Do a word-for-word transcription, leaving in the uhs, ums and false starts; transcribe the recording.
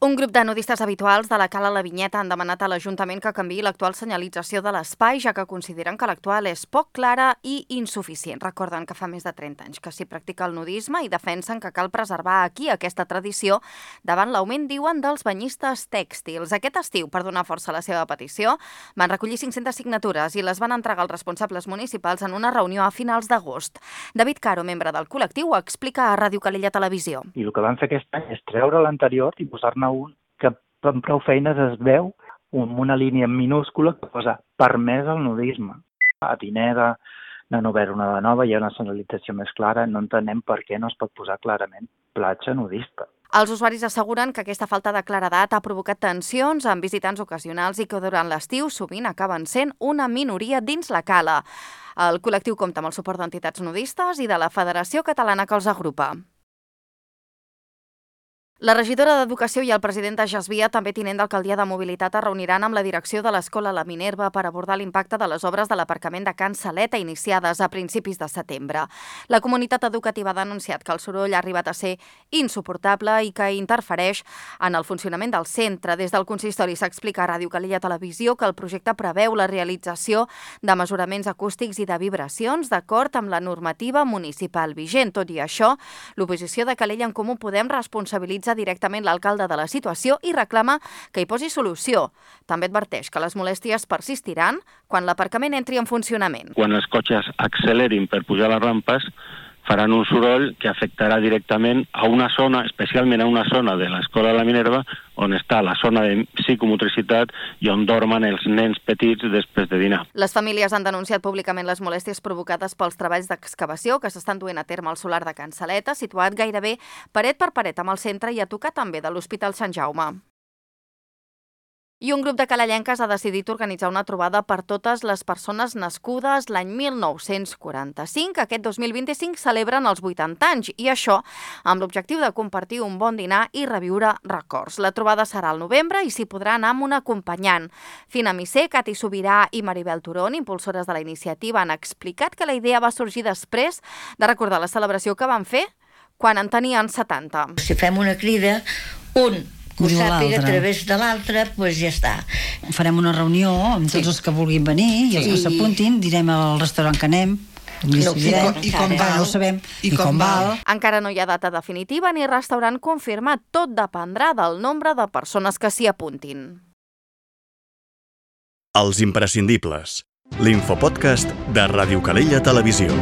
Un grup de nudistes habituals de la Cala La Vinyeta han demanat a l'Ajuntament que canviï l'actual senyalització de l'espai, ja que consideren que l'actual és poc clara i insuficient. Recorden que fa més de trenta anys que s'hi practica el nudisme i defensen que cal preservar aquí aquesta tradició davant l'augment, diuen, dels banyistes tèxtils. Aquest estiu, per donar força a la seva petició, van recollir cinc-centes signatures i les van entregar als responsables municipals en una reunió a finals d'agost. David Caro, membre del col·lectiu, ho explica a Ràdio Calella Televisió. I el que van fer aquest any és treure l'anterior i posar-ne un que amb prou feines es veu amb una línia minúscula que posa permès al nudisme. A Pineda n'han obert una de nova, hi ha una senyalització més clara, no entenem per què no es pot posar clarament platja nudista. Els usuaris asseguren que aquesta falta de claredat ha provocat tensions amb visitants ocasionals i que durant l'estiu sovint acaben sent una minoria dins la cala. El col·lectiu compta amb el suport d'entitats nudistes i de la Federació Catalana que els agrupa. La regidora d'Educació i el president de Jasvia, també tinent d'alcaldia de Mobilitat, es reuniran amb la direcció de l'Escola La Minerva per abordar l'impacte de les obres de l'aparcament de Can Saleta iniciades a principis de setembre. La comunitat educativa ha denunciat que el soroll ha arribat a ser insuportable i que interfereix en el funcionament del centre. Des del consistori s'explica a Ràdio Calella Televisió que el projecte preveu la realització de mesuraments acústics i de vibracions d'acord amb la normativa municipal vigent. Tot i això, l'oposició de Calella en Comú Podem responsabilitza directament l'alcalde de la situació i reclama que hi posi solució. També adverteix que les molèsties persistiran quan l'aparcament entri en funcionament. Quan els cotxes accelerin per pujar les rampes, faran un soroll que afectarà directament a una zona, especialment a una zona de l'Escola La Minerva, on està la zona de psicomotricitat i on dormen els nens petits després de dinar. Les famílies han denunciat públicament les molèsties provocades pels treballs d'excavació que s'estan duent a terme al solar de Can Saleta, situat gairebé paret per paret amb el centre i a tocar també de l'Hospital Sant Jaume. I un grup de calellenques ha decidit organitzar una trobada per totes les persones nascudes l'any mil nou-cents quaranta-cinc. Aquest dos mil vint-i-cinc celebren els vuitanta anys i això amb l'objectiu de compartir un bon dinar i reviure records. La trobada serà al novembre i s'hi podrà anar amb un acompanyant. Fina Misser, Cati Sobirà i Maribel Turón, impulsores de la iniciativa, han explicat que la idea va sorgir després de recordar la celebració que van fer quan en tenien setanta. Si fem una crida, un que ho sàpiga a través de l'altre, doncs ja està. Farem una reunió amb tots sí. els que vulguin venir i els sí. que s'apuntin, direm al restaurant que anem, no, i, com, i com val, no ho sabem, i, i com, com val. val. Encara no hi ha data definitiva ni restaurant confirmat, tot dependrà del nombre de persones que s'hi apuntin. Els imprescindibles, l'infopodcast de Ràdio Calella Televisió.